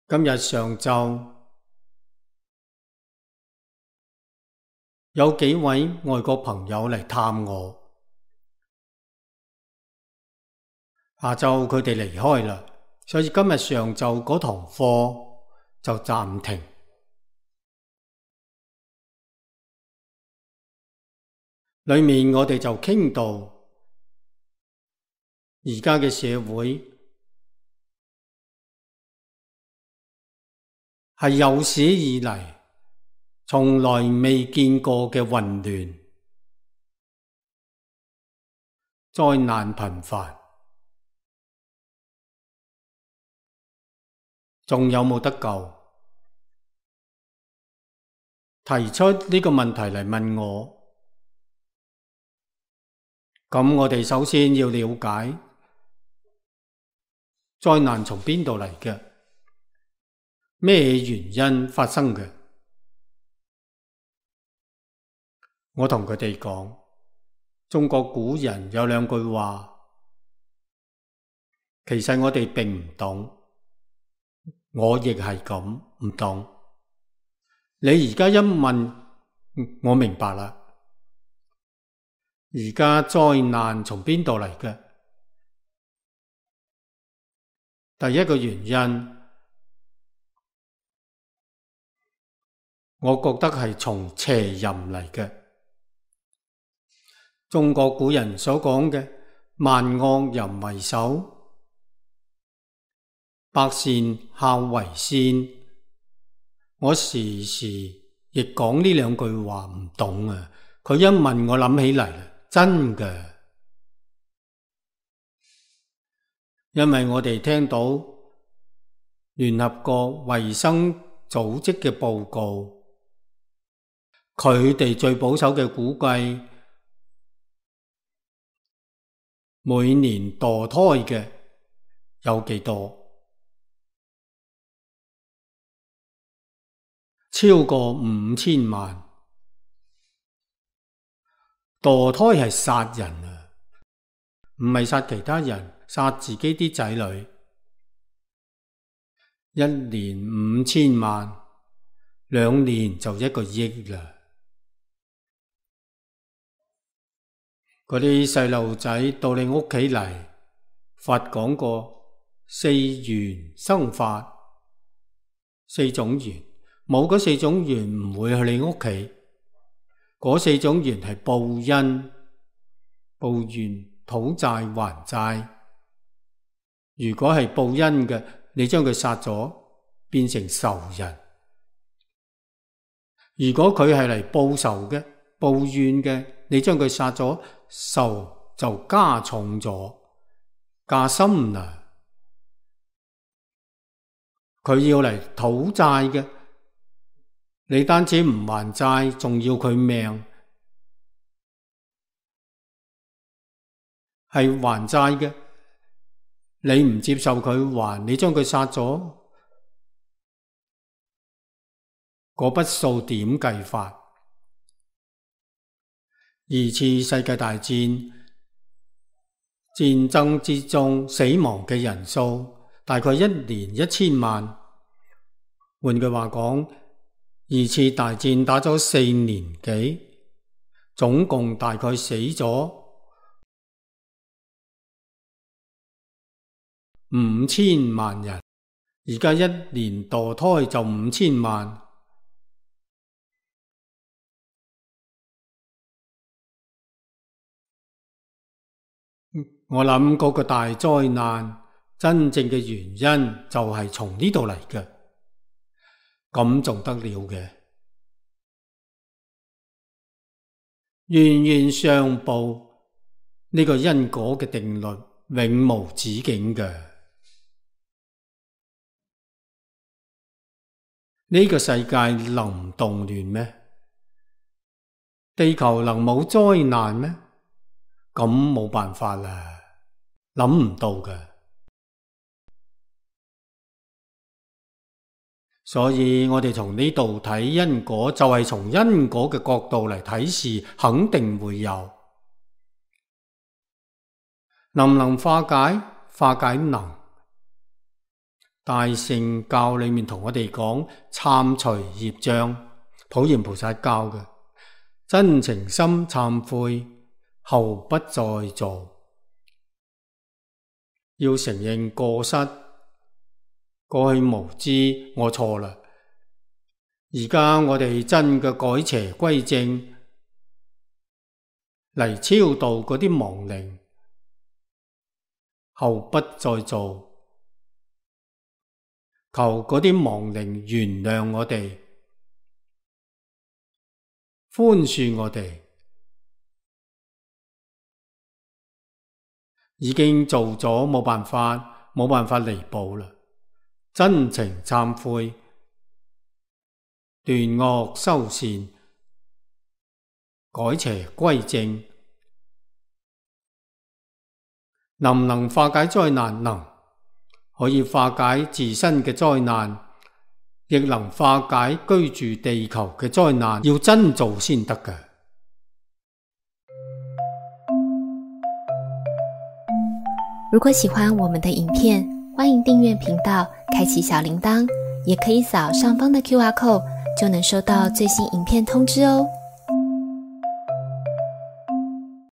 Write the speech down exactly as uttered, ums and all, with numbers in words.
今日上晝有幾位外國朋友嚟探我，下晝佢哋離開啦，所以今日上晝嗰堂課就暫停。裏面我哋就傾到而家嘅社會係有史以嚟從來未見過嘅混亂，災難頻繁，仲有冇得救？提出呢個問題嚟問我，咁我哋首先要了解災難從邊度嚟嘅，咩原因發生嘅？我同佢哋講，中國古人有兩句話，其實我哋並唔懂，我亦係咁唔懂。你而家一問，我明白啦。而家災難從邊度嚟嘅？第一個原因，我覺得係從邪淫嚟嘅。中國古人所講嘅萬惡淫為首，百善孝為先，我時時亦講呢兩句話唔懂啊。佢一問我諗起嚟啦，真嘅，因為我哋聽到聯合國衛生組織嘅報告，佢哋最保守嘅估計，每年墮胎嘅有幾多？超過五千萬。墮胎係殺人啊，唔係殺其他人，殺自己啲仔女。一年五千萬，兩年就一個億啦。嗰啲細路仔到你屋企嚟，佛講過四緣生法，四種緣，冇嗰四種緣唔會去你屋企。嗰四種緣係報恩、報怨、討債還債。如果係報恩嘅，你將佢殺咗，變成仇人；如果佢係嚟報仇嘅、報怨嘅，你將佢殺咗，仇就加重咗、加深啦。佢要嚟討債嘅，你單止唔還債，仲要佢命。係還債嘅，你唔接受佢還，你將佢殺咗，嗰筆數點計法？二次世界大戰戰爭之中死亡嘅人數大概一年一千萬。換句話講，二次大戰打咗四年幾，總共大概死咗五千萬人。而家一年墮胎就五千萬。我諗嗰個大災難真正嘅原因就係從呢度嚟嘅，咁仲得了嘅？冤冤相報，呢個因果嘅定律永無止境嘅。呢個世界能唔動亂咩？地球能冇災難咩？咁冇辦法啦。諗唔到嘅，所以我哋從呢度睇因果，就係從因果嘅角度嚟睇事，肯定會有。能唔能化解？化解能。大乘教裏面同我哋講懺除業障，普賢菩薩教嘅真情心懺悔，後不再做。要承認過失，過去無知，我錯啦。而家我哋真嘅改邪歸正，嚟超度嗰啲亡靈，後不再做。求嗰啲亡靈原諒我哋，寬恕我哋。已經做咗冇辦法，冇辦法彌補啦。真情懺悔，斷惡修善，改邪歸正，能唔能化解災難？能。可以化解自身嘅災難，亦能化解居住地球嘅災難，要真做先得嘅。如果喜歡我們的影片，歡迎訂閱頻道，開啟小鈴鐺，也可以掃上方的 Q R code，就能收到最新影片通知哦。